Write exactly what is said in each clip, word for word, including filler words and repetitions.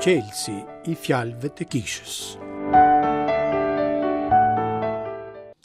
Çelësi i fjalëve të kishës.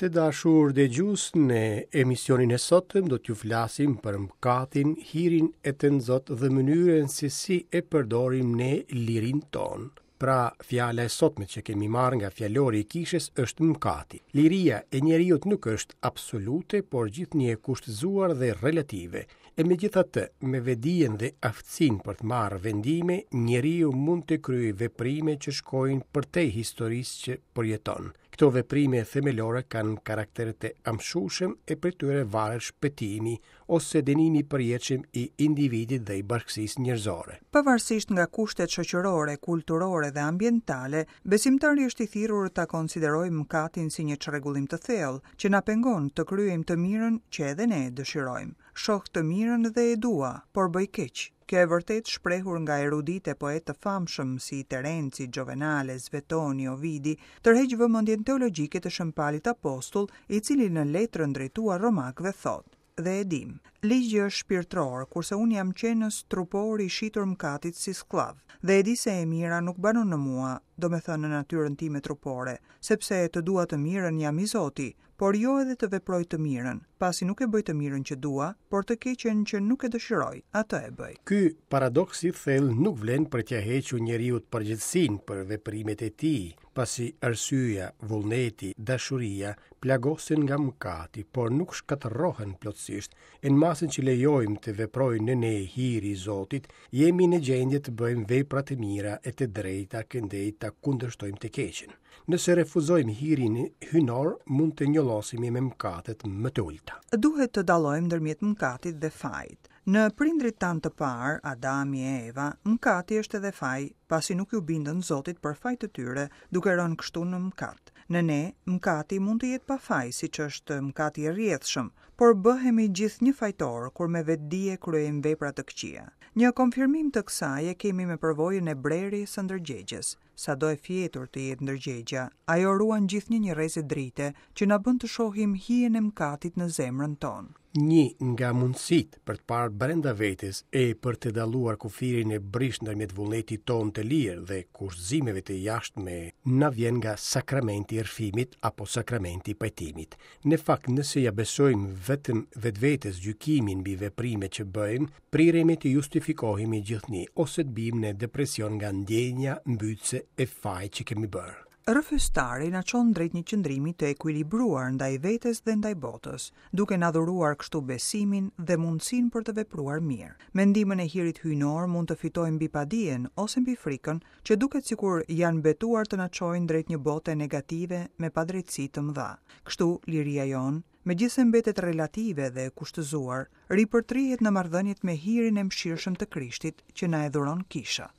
Të dashur dëgjues, në emisionin e sotëm do t'ju flasim për mëkatin, hirin e tënzot dhe mënyrën se si e përdorim ne lirinë tonë. Pra, fjala e sotme që kemi marrë nga fjalori i kishës është mëkati. Liria e njeriut nuk është absolute, por gjithnjë e kushtëzuar dhe relative. E megjithatë, me vetëdijen dhe aftësinë për të marrë vendime, njeriu mund të kryejë veprime që shkojnë përtej historisë që përjeton. Këto veprime themelore kanë karakter të amshueshëm e prej tyre varet shpëtimi ose dënimi i përjetshëm i individit dhe i bashkësisë njerëzore. Pavarësisht nga kushtet shoqërore, kulturore dhe ambientale, besimtari është i thirrur ta konsiderojë mëkatin si një çrregullim të thellë që na pengon të kryejmë të mirën që edhe ne e dëshirojmë. Shoh të mirën dhe e dua, por bëj keq. Kjo e vërtetë shprehur nga eruditë e poetë të famshëm si Terenci, Giovenale, Svetoni, Ovidi, tërheq vëmendjen teologjike të Shën Palit Apostull, i cili në letrën drejtuar romakëve thotë: Dhe e dim, ligji është shpirtëror, kurse unë jam qenës trupor i shitur mëkatit si skllav. Dhe e di se e mira nuk banon në mua, domethënë në natyrën time trupore, sepse të dua të mirën jam i Zoti, por jo edhe të veproj të mirën, pasi nuk e bëj të mirën që dua, por të keqen që nuk e dëshiroj, atë e bëj. Ky paradoks i thellë nuk vlen për t'ia hequr njeriut përgjegjësinë për veprimet e tij, pasi arsyeja, vullneti, dashuria plagosen nga mëkati, por nuk shkatërrohen plotësisht. E në masën që lejojmë të veprojë në ne hiri i Zotit, jemi në gjendje të bëjmë vepra të mira e të drejta, këndej ta kundërshtojmë të keqen. Nëse refuzojmë hirin hyjnor, mund të njollosemi me mëkatet më të ulta. Duhet të dallojmë ndërmjet mëkatit dhe fajit. Në prindrit tanë të parë, Adami e Eva, mëkati është edhe faj, pasi nuk ju bindën Zotit për faj të tyre, duke rënë kështu në mëkat. Në ne, mëkati mund të jetë pa faj, siç është mëkati i rrjedhshëm, por bëhemi gjithnjë fajtor kur me vetëdije kryejmë vepra të këqija. Një konfirmim të kësaj e kemi me përvojën e brerjes së ndërgjegjes. Sado e fjetur të jetë ndërgjegja, ajo ruan gjithnjë një rreze drite që na bën të shohim hijen e mëkatit në zemrën tonë. Një nga mundësitë për të parë brenda vetes e për të dalluar kufirin e brishtë ndërmjet vullnetit tonë të lirë dhe kushtëzimeve të jashtme na vjen nga sakramenti i rrëfimit apo sakramenti i pajtimit. Në fakt, nëse ja besojmë vetëm vetvetes gjykimin mbi veprimet që bëjmë, priremi të justifikohemi gjithnjë ose të bim në depresion nga ndjenja mbytëse e fajit që kemi bërë. Rrëfestari na çon drejt një qëndrimi të ekuilibruar ndaj vetes dhe ndaj botës, duke na dhuruar kështu besimin dhe mundësinë për të vepruar mirë. Me ndihmën e hirit hyjnor mund të fitojmë mbi padijen ose mbi frikën, që duket sikur janë betuar të na çojnë drejt një bote negative me padrejtësi të mëdha. Kështu, liria jonë, megjithëse mbetet relative dhe e kushtëzuar, ripërtrihet në marrëdhëniet me hirin e mëshirshëm të Krishtit që na e dhuron kisha.